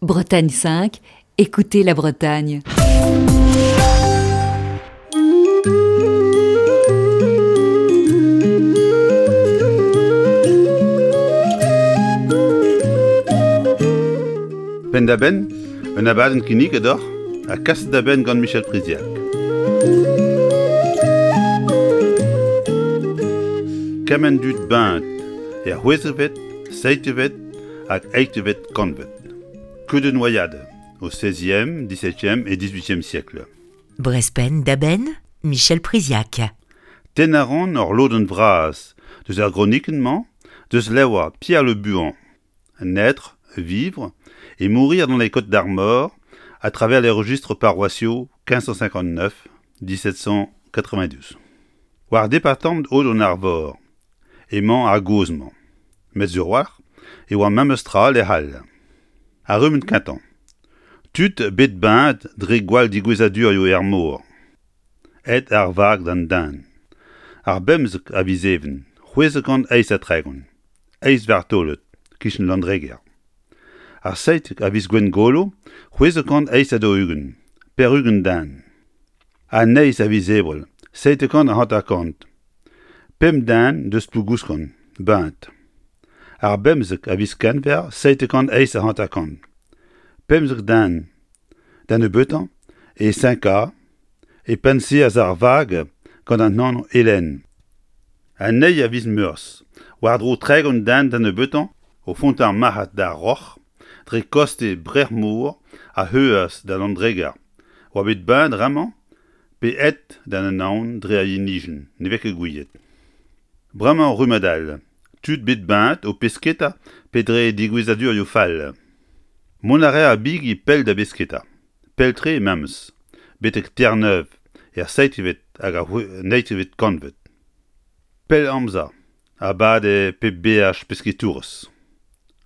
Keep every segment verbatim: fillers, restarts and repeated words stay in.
Bretagne cinq, écoutez la Bretagne. Penn-da-benn, un abadenn kinniget deoc'h ha kaset da benn gant Michel Priziac. Kement dud beñt er c'hwezekvet, seizhvet hag eizhvet kantved. Que de noyades au seizième, dix-septième et dix-huitième siècle. Brezh Penn-da-Benn, Michel Priziac. Tennañ a ran ur lodenn vras deus ar gronikenn-mañ deus levr Pierre Le Buhan, Naître, vivre et mourir dans les Côtes d'Armor à travers les registres paroissiaux quinze cent cinquante-neuf dix-sept cent quatre-vingt-douze. War departamant Aod-an-Arvor emañ ar gaoz-mañ. Met sur a-walc'h e oa memes tra lec'h all. Ar rummad kentañ. Tud bet beñet dre gwall digouezadurioù er mor. Aet ar vag d'an den. Ar bemzek a viz Even, c'hwezek kant eizh ha tregont. Eizh vartolod, kichen Landreger. Ar seitek a viz Gwengolo, c'hwezek kant eizh ha daou-ugent, pevar-ugent den. An eizh a viz Ebrel, seitek kant hanter-kant. Pemp den deus Plougouskant, beñet. Ar bemzek a viz Kenver, seitek kant eizh ha hanter-kant. Pemzek den, da nebeutañ, e Saint-Ka, e penn-seaz ar vag gant an anv Hélène. An eil a viz Meurzh, war-dro tregont den da nebeutañ, o vont ar marc'had d'ar Roc'h, dre koste Brec'h-Mor a heuas da Landreger, oa bet beñet bremañ pe aet d'an anaon dre ar yenijenn, ne vez ket gouiet. Bremañ rummad all, tud bet beñet o pesketa pe dre digouezadurioù fall. Mont a rae ar bigi pell da besketa, pell-tre memes, betek Terre-Neuve er seizhvet hag ar naontekvet kantved. Pell amzer a bade pep beaj pesketourez.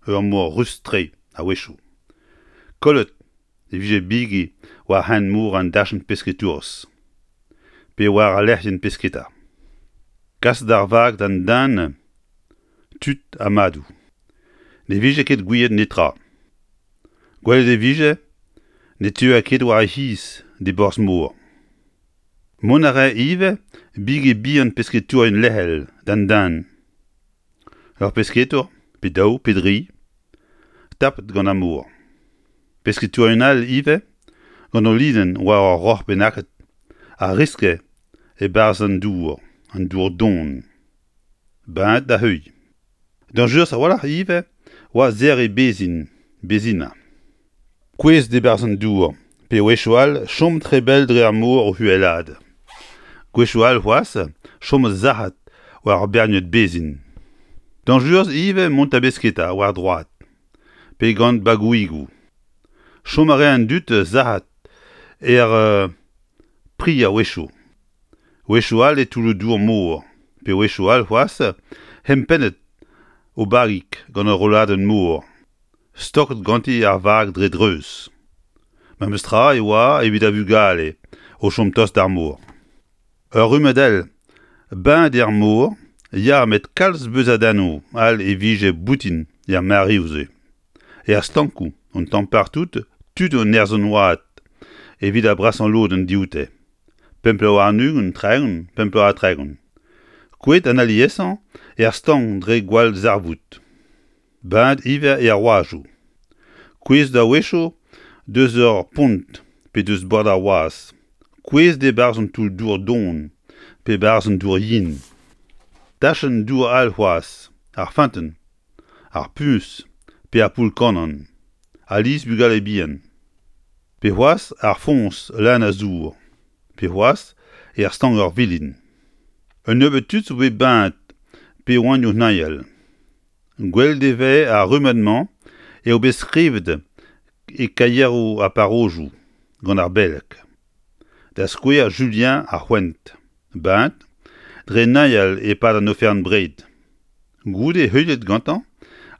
Ur mor rust-tre a-wechoù. Kollet e vije bigi war hent-mor an dachenn pesketourez, pe war al lec'hienn pesketa. Kaset ar vag d'an den, tud ha madoù. Ne vije ket gouiet netra. Gwelet e vije ne teue ket war e c'hiz d'e borzh-mor. Mont a rae ivez bigi bihan pesketourien lec'hel d'an den. Ur pesketour, pe daou, pe dri, tapet gant ar mor. Pesketourien all ivez, gant o linenn war ur roc'h bennaket, a riske e-barzh an dour, an dour don. Beñet da heuilh. Dañjerus a-walc'h ivez oa serriñ bezhin, bezhina. Kouezhet e-barzh an dour, pe wechoù all chom tre bell dre ar mor o huelaat. Gwechoù all c'hoazh chom sac'hat war ur berniad bezhin. Dañjerus ivez mont da besketa war droad, pe gant bagoùigoù. Chom a rae an dud sac'hat er pri a-wechoù. Wechoù all e toulloù dour mor, pe wechoù all c'hoazh hempennet o bagig gant ur rolladenn mor, stoket ganti ar vag dre dreuz. Memes tra e oa evit ar vugale o chom tost d'ar mor. Ur rummad all, beñet er mor, ya met kalz beuzadennoù all e vije boutin er mareoù-se. Er stankoù, un tamm partout, tud o nerzh an oad evit ar brasañ lodenn dioute. Pemp bloaz warn-ugent, tregont, pemp bloaz ha tregont. Kouezhet an aliesañ er stank dre gwall zarvoud. Beñet ivez er oajoù. Kouezhet a-wechoù deus ur pont pe deus bord ar wazh. Kouezhet e-barzh an toull-dour don pe barzh an dour yen. Tachenn dour all c'hoazh, ar feunteun, ar puñs pe ar poull-kannan, alies bugale bihan. Pe c'hoazh ar foñs leun a zour, pe c'hoazh er stank ur vilin. Un nebeud tud zo bet beñet pe oant o neuial. Gwelet e vez ar rummad-mañ eo bet skrivet e kaieroù ar parrozioù gant ar beleg. Da skouer Julien ar C'hoent, beñet dre neuial e-pad an oferenn-bred. Goude heuliet gantañ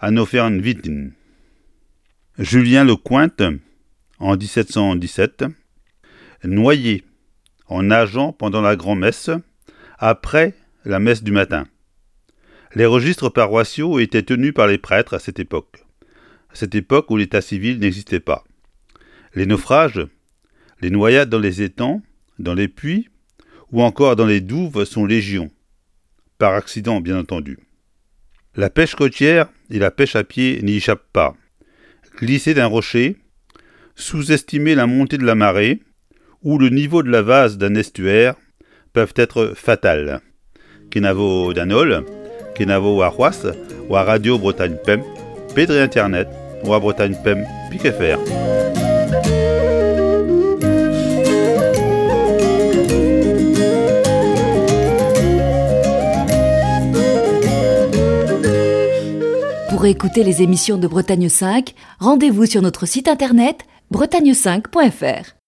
an oferenn vintin. Julien Le Cointe, en dix-sept cent dix-sept, noyé en nageant pendant la grand-messe, après la messe du matin. Les registres paroissiaux étaient tenus par les prêtres à cette époque. À cette époque où l'état civil n'existait pas. Les naufrages, les noyades dans les étangs, dans les puits ou encore dans les douves sont légion. Par accident, bien entendu. La pêche côtière et la pêche à pied n'y échappent pas. Glisser d'un rocher, sous-estimer la montée de la marée ou le niveau de la vase d'un estuaire peuvent être fatales. Kenavo d'an holl, kenavo warc'hoazh, war Radio Bretagne Pemp, pe dre internet, war Bretagne Pemp, pik F R. Pour écouter les émissions de Bretagne cinq, rendez-vous sur notre site internet bretagne cinq point F R.